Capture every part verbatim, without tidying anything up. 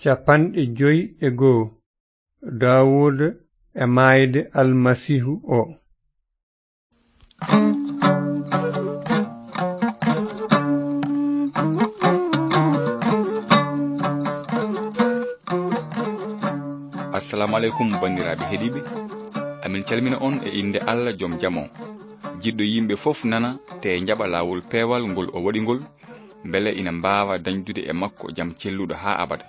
Capanɗe joy e goo. Daawuda e maayde Almasiihu o. Assalamu aleykum, banndiraaɓe heɗiiɓe. Amin calmina on e innde Allah, jom jam o, jiɗɗo yimɓe fof nana, te njaɓa laawol peewal ngol o waɗi ngol, mbele ina mbaawa dañdude e makko jam celluɗo haa abada.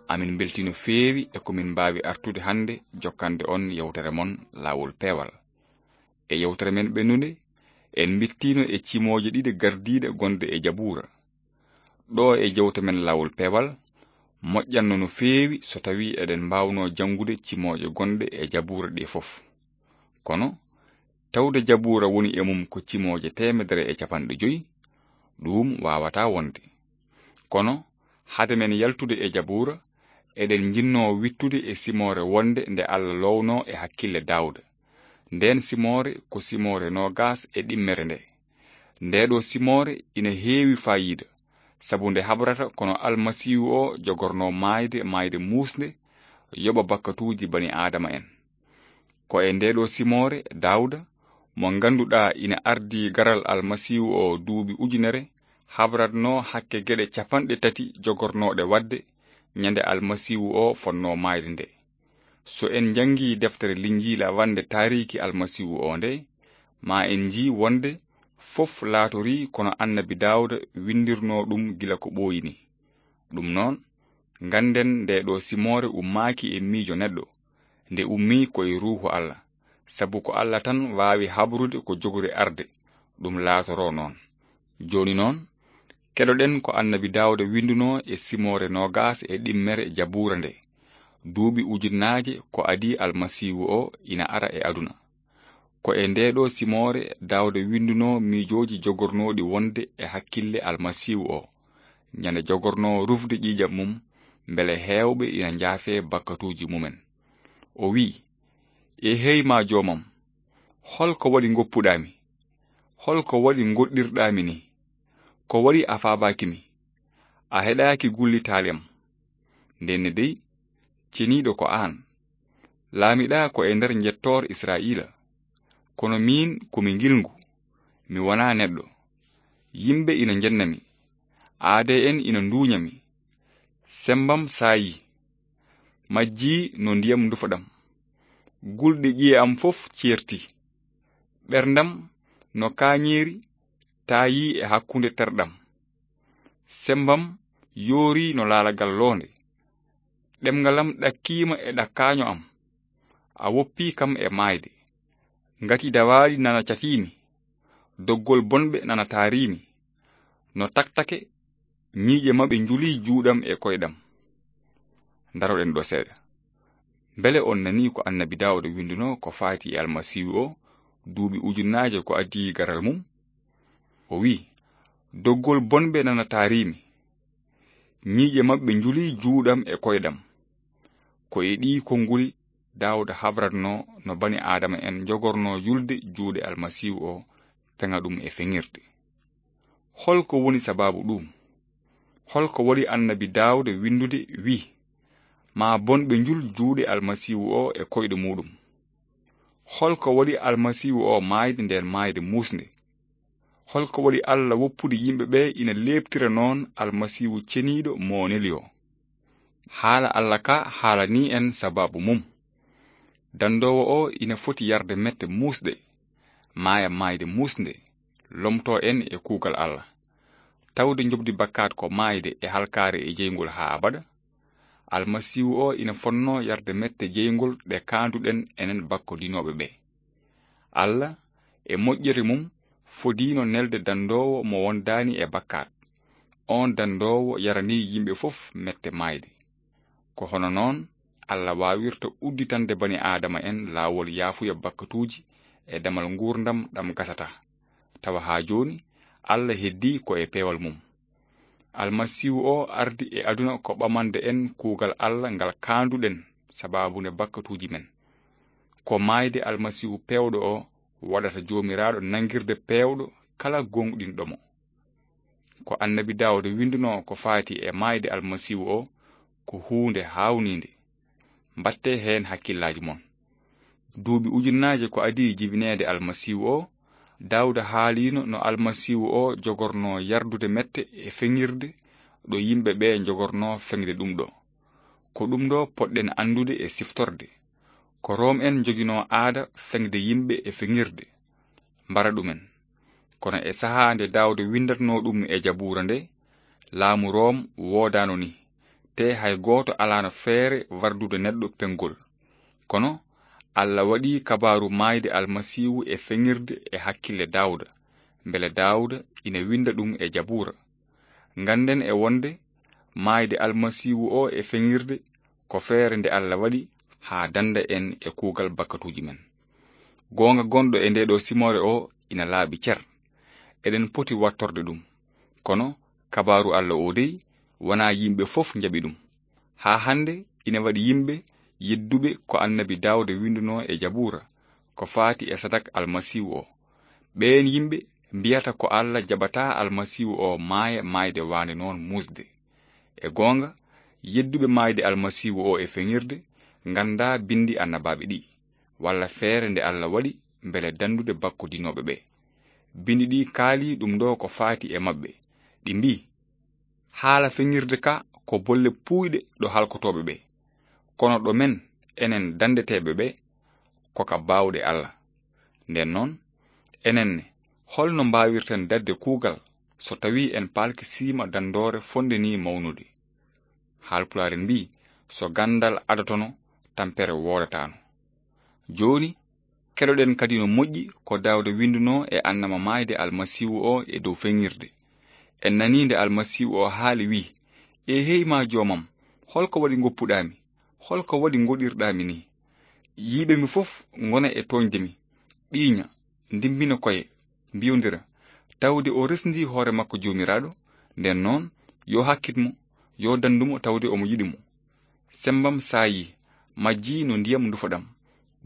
Amin mbeltii no feewi e ko min mbaawi artude hannde jokkande on yewtere mon Laawol Peewal. E yewtere men ɓennunde, en mbittiino e cimooje ɗiɗi gardiiɗe gonɗe e Jabuura. Ɗo e jewte men Laawol Peewal, moƴƴanno no feewi so tawii eɗen mbaawnoo janngude cimooje gonɗe e Jabuura ɗe fof. Kono, tawde Jabuura woni e mum ko cimooje teemedere e capanɗe joy, ɗuum waawataa wonde. Kono, hade men yaltude e Jabuura, eɗen njinnoo wittude e simoore wonde nde Allah loownoo e hakkille Daawda. Ndeen simoore ko simoore noogaas e ɗimmere nde. Ndeeɗoo simoore ina heewi faayiida, sabu nde habrata ko no Almasiihu o jogornoo maayde, maayde muusnde, yoɓa bakkatuuji bani Aadama en. Ko e ndeeɗoo simoore Daawda, mo ngannduɗaa ina ardii garal Almasiihu o duuɓi ujunere, habratnoo hakke geɗe capanɗe tati jogornooɗe waɗde ñande Almasiihu o fotnoo maayde nde. So en njanngii deftere Linjiila wannde taariiki Almasiihu o nde, ma en njii wonde fof laatorii ko no annabi Daawda winndirnoo ɗum gila ko ɓooyi ni. Ɗum noon, ngannden ndeeɗoo simoore ummaaki e miijo neɗɗo, nde ummii ko e Ruuhu Allah, sabu ko Allah tan waawi habrude ko jogori arde, ɗum laatoroo noon. Jooni noon, keɗoɗen ko annabi Daawda winndunoo e simoore noogaas e ɗimmere Jabuura nde, duuɓi ujunnaaje ko adii Almasiihu o ina ara e aduna. Ko e ndeeɗoo simoore Daawda winndunoo miijooji jogornooɗi wonde e hakkille Almasiihu o, ñande jogornoo rufde ƴiiƴam mum, mbele heewɓe ina njaafee bakkatuuji mumen. O wiyi, "E hey ma joomam, hol ko waɗi ngoppuɗaa mi? Hol ko waɗi ngoɗɗirɗaa mi ni? Ko waɗi a faabaaki mi? A heɗaaki gullitaali am?" Ndenne dey, ceniiɗo ko aan. Laamiɗaa ko e nder njettoor Israa'iila. Kono miin ko mi ngilngu, mi wonaa neɗɗo. Yimɓe ina njenna mi, aadee en ina nduuña mi. Semmbam saayii, majjii no ndiyam ndufaɗam. Gulɗe ƴiye am fof ceertii. Ɓerndam no kaañeeri taayii e hakkunde terɗam. Semmbam yoorii no laalagal loonde. Ɗemngal am ɗakkiima e ɗakkaaño am. A woppii kam e maayde. Ngati dawaaɗi nana catii mi. Doggol bonɓe nana taarii mi. No taktake, ñiiƴe maɓɓe njulii juuɗam e koyɗam. Ndaroɗen ɗo seeɗa. Mbele on nanii ko annabi Daawuda winndunoo ko faati e Almasiihu o, duuɓi ujunnaaje ko adii garal mum? O wiyi, "Doggol bonɓe nana taarii mi. Ñiiƴe maɓɓe njulii juuɗam e koyɗam." Ko e ɗii konnguli Daawuda habratnoo no bani Aadama en njogornoo yulde juuɗe Almasiihu o, feŋa ɗum e feŋirde. Hol ko woni sabaabu ɗuum? Hol ko waɗi annabi Daawuda winndude, wiyi, "Ma bonɓe njul juuɗe Almasiihu o e koyɗe muuɗum"? Hol ko waɗi Almasiihu o maayde ndeen maayde muusnde? Hol ko waɗi Allah woppude yimɓe ɓe ina leeptira noon Almasiihu ceniiɗo mo o neli o? Haala Allah ka haalanii en sabaabu mum. Danndoowo o ina foti yarde mette muusɗe, maaya maayde muusnde, lomtoo en e kuugal Allah. Tawde njoɓdi bakkaat ko maayde e halkaare e jeyngol haa abada, Almasiihu o ina fotnoo yarde mette jeyngol ɗe kaanduɗen enen bakkodinooɓe ɓe. Allah, e moƴƴere mum, fodiino nelde danndoowo mo wondaani e bakkaat. Oon danndoowo yaranii yimɓe fof mette maayde. Ko hono noon Allah waawirta udditande bani Aadama en laawol yaafuya bakkatuuji e damal nguurndam ɗam gasataa. Tawa haa jooni, Allah heddii ko e peewal mum. Almasiihu o ardi e aduna ko ɓamande en kuugal Allah ngal kaanduɗen sabaabu nde bakkatuuji men. Ko maayde Almasiihu peewɗo o waɗata Joomiraaɗo nangirde peewɗo kala gooŋɗinɗo mo. Ko annabi Daawuda winndunoo ko faati e maayde Almasiihu o, ko huunde haawniinde. Mbaɗtee heen hakkillaaji mon. Duuɓi ujunnaaje ko adii jibineede Almasiihu o, Daawda haaliino no Almasiihu o jogornoo yardude mette e feŋirde ɗo yimɓe ɓee njogornoo feŋde ɗum ɗo. Ko ɗum ɗo poɗɗen anndude e siftorde. Ko Room en njoginoo aada feŋde yimɓe e feŋirde, mbara ɗumen. Kono e sahaa nde Daawda winndatnoo ɗum e Jabuura nde, laamu Room woodaano ni, te hay gooto alaano feere wardude neɗɗo peŋgol. Kono Alla waɗi kabaaru maayde Almasiihu e feŋirde e hakkille Daawda, mbele Daawda ina winnda ɗum e Jabuura. Ngannden e wonde maayde Almasiihu o e feŋirde ko feere nde Alla waɗi haa dannda en e kuugal bakkatuuji men. Goonga gonɗo e ndee ɗo simoore o ina laaɓi cer. Eɗen poti wattorde ɗum. Kono kabaaru Alla o dey, wonaa yimɓe fof njaɓi ɗum. Haa hannde ina waɗi yimɓe yedduɓe ko Annabi Daawda winndunoo e Jabuura, ko faati e sadak Almasiihu o. Ɓeen yimɓe mbiyata ko Alla jaɓataa Almasiihu o maaya maayde waande noon muusde. E goonga, yedduɓe maayde Almasiihu o e feŋirde nganndaa binndi annabaaɓe ɗi, walla feere nde Alla waɗi mbele danndude bakkodinooɓe ɓe. Binndi ɗi kaali ɗum ɗo ko faati e maɓɓe. Ɗi mbii, haala feŋirde ka ko bolle puuyɗe ɗo halkotooɓe ɓe. Kono ɗo men, enen danndeteeɓe ɓe, ko ka baawɗe Alla. Nden noon, enen ne, holno mbaawirten daɗde kuugal so tawii en palkisiima danndoore fonnde nii mawnude? Haalpulaar en mbii, so ganndal adotono, tampere woodataano. Jooni, keɗoɗen kadi no moƴƴi ko Daawda winndunoo e annama maayde Almasiihu o e dow feŋirde. En nanii nde Almasiihu o haali, wii, "E hey maa joomam, holko waɗi ngoppuɗaa mi? Holko waɗi ngoɗirɗaa mi nii? Yiiɓe mi fof ngona e tooñde mi, ɓiiña, ndimmbina koye, mbiyondira, tawde o resndi hoore makko Joomiraaɗo. Nden noon, yo hakkit mo, yo danndu mo tawde omo yiɗi mo." Semmbam saayii, majjii no ndiyam ndufaɗam.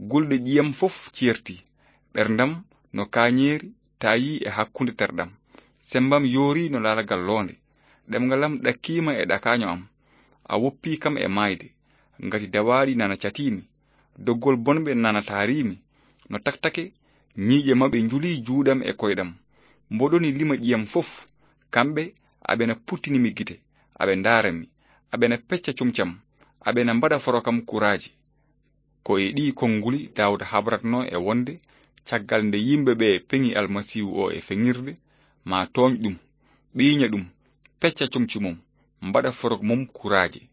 Gulɗe ƴiyam fof ceerti. Ɓerndam no kaañeeri taayii e hakkunde terɗam. Semmbam yoorii no laalagal loonde. Ɗemngal am ɗakkiima e ɗakaaño am. A woppii kam e maayde. Ngati dawaaɗi nana catiimi. Doggol bonɓe nana taariimi. No taktake, ñiiƴe maɓɓe njulii juuɗam e koyɗam. Mboɗoni lima ƴiyam fof. Kamɓe, aɓena puttini mi gite. Aɓe ndaara mi. Aɓena pecca comci am. Aɓena mbaɗa foro kam kuraaji. Ko e ɗii konnguli Daawda habratnoo e wonde, caggal nde yimɓe ɓe peŋi Almasiihu o e feŋirde, maa tooñ ɗum, ɓiiña ɗum, pecca comci mum, mbaɗa forok mum kuraaji.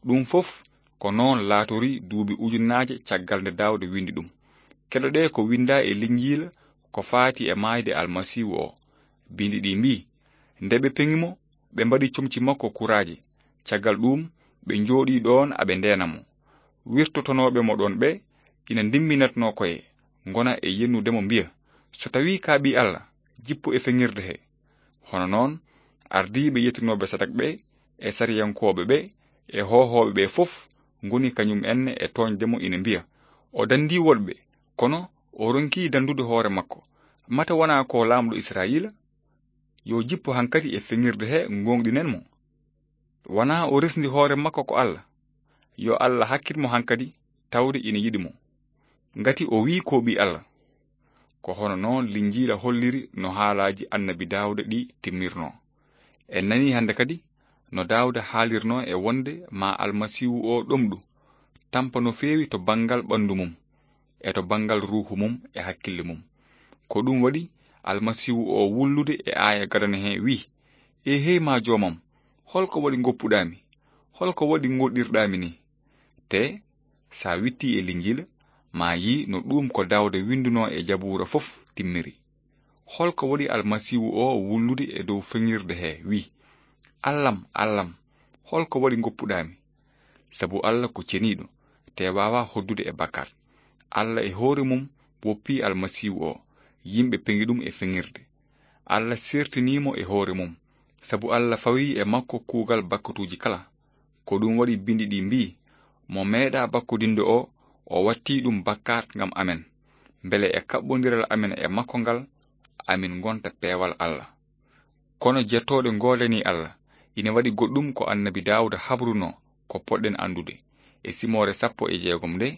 Ɗum fof ko noon laatorii duuɓi ujunnaaje caggal nde Daawda winndi ɗum. Keɗoɗee ko winndaa e Linjiila ko faati e maayde Almasiihu o. Binndi ɗi mbii, nde ɓe peŋi mo, ɓe mbaɗi comci makko kuraaji. Caggal ɗuum, ɓe njooɗii ɗoon aɓe ndeena mo. Wirtotonooɓe mo ɗoon ɓe ina ndimmbinatnoo koye, ngona e yennude mo mbiya, "So tawii ka ɓii Alla, jippu e feŋirde he." Hono noon, ardiiɓe yettinooɓe sadak ɓe, e sariyankooɓe ɓe, e hoohooɓe ɓe fof ngoni kañum enne e tooñde mo ina mbiya, "O danndii woɗɓe, kono o ronkii danndude hoore makko. Mata wonaa ko laamɗo Israayiila? Yo jippu hankadi e feŋirde he ngooŋɗinen mo. Wonaa o resndi hoore makko ko Alla? Yo Alla hakkit mo hankadi tawde ina yiɗi mo. Ngati o wii ko ɓii Alla." Ko hono noon Linjiila holliri no haalaaji Annabi Daawda ɗi timmirnoo. En nanii hannde kadi no Daawda haalirnoo e wonde maa Almasiihu o ɗomɗu, tampa no feewi to banngal ɓanndu mum, e to banngal ruuhu mum e hakkille mum. Ko ɗum waɗi Almasiihu o wullude e aaya gadano he wii, "E hey maa joomam, holko waɗi ngoppuɗaa mi? Holko waɗi ngoɗɗirɗaa mi nii?" Te, sa wittii e Linjiila, ma yii no ɗuum ko Daawda winndunoo e Jabuura fof timmiri. Holko waɗi Almasiihu o wullude e dow feŋirde he wii, "Allam, Allam, holko waɗi ngoppuɗaa mi?" Sabu Alla ko ceniiɗo, te waawaa hoddude e bakkaat. Alla e hoore mum woppii Almasiihu o, yimɓe peŋi ɗum e feŋirde. Alla seertinii mo e hoore mum, sabu Alla fawii e makko kuugal bakkatuuji kala. Ko ɗum waɗi binndi ɗi mbii, "Mo meeɗaa bakkodinde o, o wattii ɗum bakkaat ngam amen, mbele e kaɓɓondiral amen e makko ngal, amin ngonta peewal Alla." Kono jettooɗe ngoodanii Alla, ina waɗi goɗɗum ko Annabi Daawda habrunoo, Ko poɗɗen anndude, e simoore sappo e jeegom nde,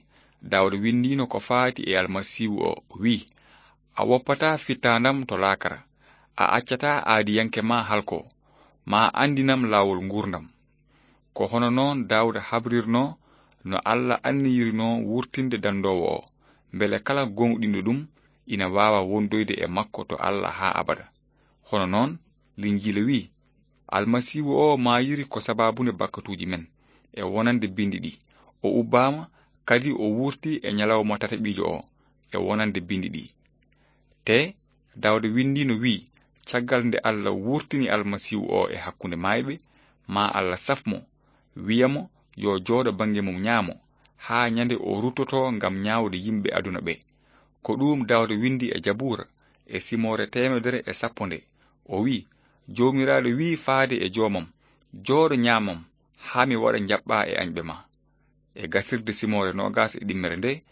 Daawda winndiino ko faati e Almasiihu o, wi'i, "A woppataa fittaandam to laakara, a accataa aadiyanke ma halko, ma anndinam laawol nguurndam." Ko hono noon Daawda habrirnoo no Alla anniyirinoo wurtinde dandoowo o, mbele kala gooŋɗinɗo ɗum ina waawa wondoyde e makko to Alla haa abada. Hono noon, Linjiila wi'i, "Almasiihu o maayiri ko sabaabunde bakkatuuji men, e wonande binndi ɗi. O ubbaama, kadi o wurtii e ñalawma tataɓiijo o, e wonande binndi ɗi." Te Daawda winndiino, wi'i, "Caggal nde Alla wurtini Almasiihu o e hakkunde maayɓe, ma Alla saf mo, wi'a mo yo jooɗo bannge mum ñaamo, haa ñande o ruttotoo ngam ñaawde yimɓe aduna ɓe." Ko ɗuum Daawda winndi e Jabuura, e simoore teemedere e sappo nde. O wi'i, "Joomiraaɗo wi'i faade e joomam, 'Jooɗo ñaamam, haa mi waɗa njaɓɓaa e añɓe ma.'" E gasirde simoore noogas e ɗimmere nde,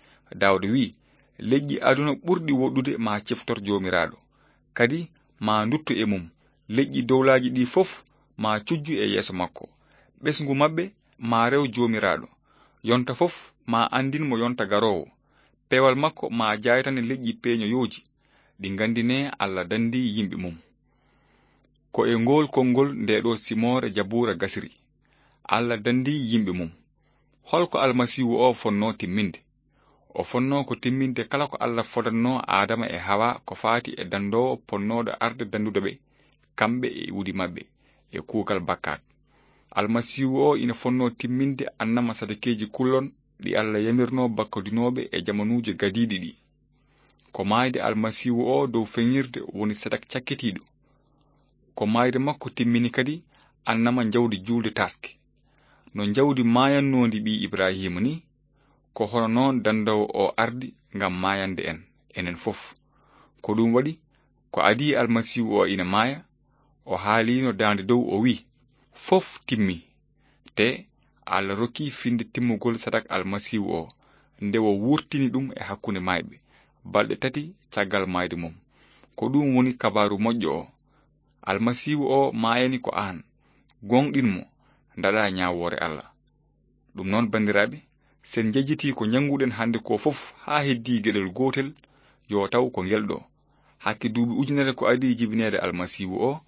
Daawda wi'i, "Leƴƴi aduna ɓurɗi woɗɗude ma ciftor Joomiraaɗo, kadi ma ndutto e mum. Leƴƴi dowlaaji ɗi fof ma cujju e yeeso makko. Ɓesngu maɓɓe ma rew Joomiraaɗo. Yonta fof ma anndin mo yonta garoowo. Peewal makko ma jaaytane leƴƴi peeñoyooji, ɗi nganndinee Alla danndii yimɓe mum." Ko e ngool konngol nde ɗo simoore Jabuura gasiri. Alla danndii yimɓe mum. Holko Almasiihu o fonnoo timminde? O fonnoo ko timminde kala ko Alla fodannoo Aadama e Hawa ko faati e dandoowo ponnooɗo arde danndude ɓe, kamɓe e iwdi maɓɓe, e kuugal bakkaat. Almasiihu o ina fonnoo timminde annama sadakeeji kullon ɗi Alla yamirnoo bakkodinooɓe e jamanuuji gadiiɗi ɗi. Ko maayde Almasiihu o dow feñirde woni sadak cakkitiiɗo. Ko maayde makko timmini kadi annama njawdi juulde taaske. No njawdi maayannoondi ɓii Ibrahiima ni, ko hono noon dandoowo o ardi ngam maayande en, enen fof. Ko ɗum waɗi, ko adii Almasiihu o ina maaya, o haaliino daande dow, o wi'i, "Fof timmi." Te Alla rokki finnde timmugol sadak Almasiihu o, nde o wurtini ɗum e hakkunde maayɓe, balɗe tati caggal maayde mum. Ko ɗum woni kabaaru moƴƴo o. Almasiihu o maayani ko aan. Gooŋɗin mo, ndaɗaa ñaawoore Alla. Ɗum noon, banndiraaɓe, sen njejjitii ko njannguɗen hannde ko fof haa heddii geɗel gootel, yo taw ko ngel ɗo. Hakke duuɓi ujunere ko adii jibineede Almasiihu o,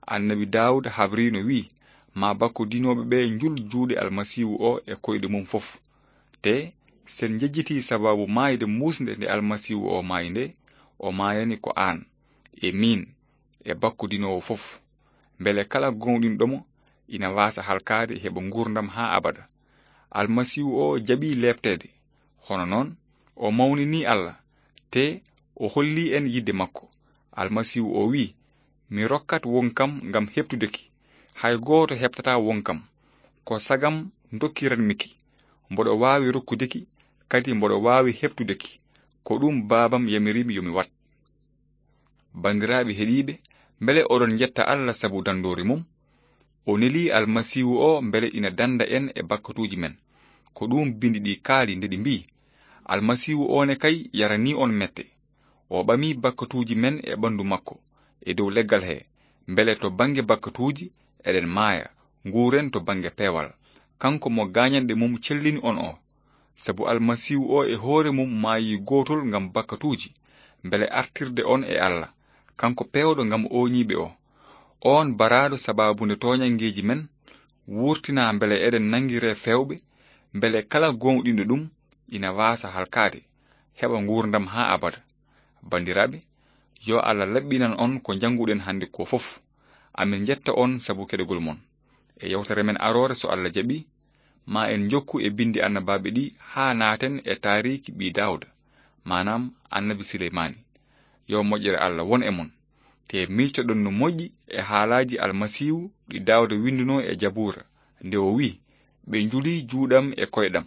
Annabi Daawuda habriino, wi'i, "Ma bakkodinooɓe ɓe njul juuɗe Almasiihu o e koyɗe mum fof." Te sen njejjitii sabaabu maayde muusnde nde Almasiihu o maayi nde, o maayani ko aan, e miin, e bakkodinoowo fof, mbele kala gooŋɗinɗo mo ina waasa halkaade, heɓa nguurndam haa abada. Almasiihu o jaɓi leepteede, hono noon o mawnini Alla, te o holli en yidde makko. Almasiihu o wi'i, "Mi rokkat wonkam ngam heɓtude ki. Hay gooto heɓtataa wonkam. Ko sagam ndokkiranmi ki. Mboɗo waawi rokkude ki, kadi mboɗo waawi heɓtude ki. Ko ɗum Baabam yamiri mi yo mi waɗ." Banndiraaɓe heɗiiɓe, mbele oɗon njetta Alla sabu danndoori mum? O neli Almasiihu o mbele ina dannda en e bakkatuuji men. Ko ɗum binndi ɗi kaali nde ɗi mbi'i, "Almasiihu o ne kay yaranii on mette. O ɓami bakkatuuji men e ɓanndu makko, e dow leggal he, mbele to bannge bakkatuuji eɗen maaya, nguuren to bannge peewal. Kanko mo gaañanɗe mum cellini on o." Sabu Almasiihu o e hoore mum maayi gootol ngam bakkatuuji, mbele artirde on e Alla, kanko peewɗo ngam ooñiiɓe o. On baraaɗo sabaabu nde tooñanngeeji men wurtinaa mbele eɗen nanngiree feewɓe, mbele kala gooŋɗinɗo ɗum ina waasa halkaade, heɓa nguurndam haa abada. Banndiraaɓe, yo Alla laɓɓinan on ko njannguɗen hannde ko fof. Amin njetta on sabu keɗogol mon. E yewtere men aroore, so Alla jaɓi, ma en njokku e binndi annabaaɓe ɗi haa naaten e taariiki ɓii Daawda, maanaam Annabi Suleymaani. Yo moƴƴere Alla won e mon. Te miicoɗon no moƴƴi e haalaaji Almasiihu ɗi Daawda winndunoo e Jabuura, nde o wi'i, "Ɓe njuli juuɗam e koyɗam."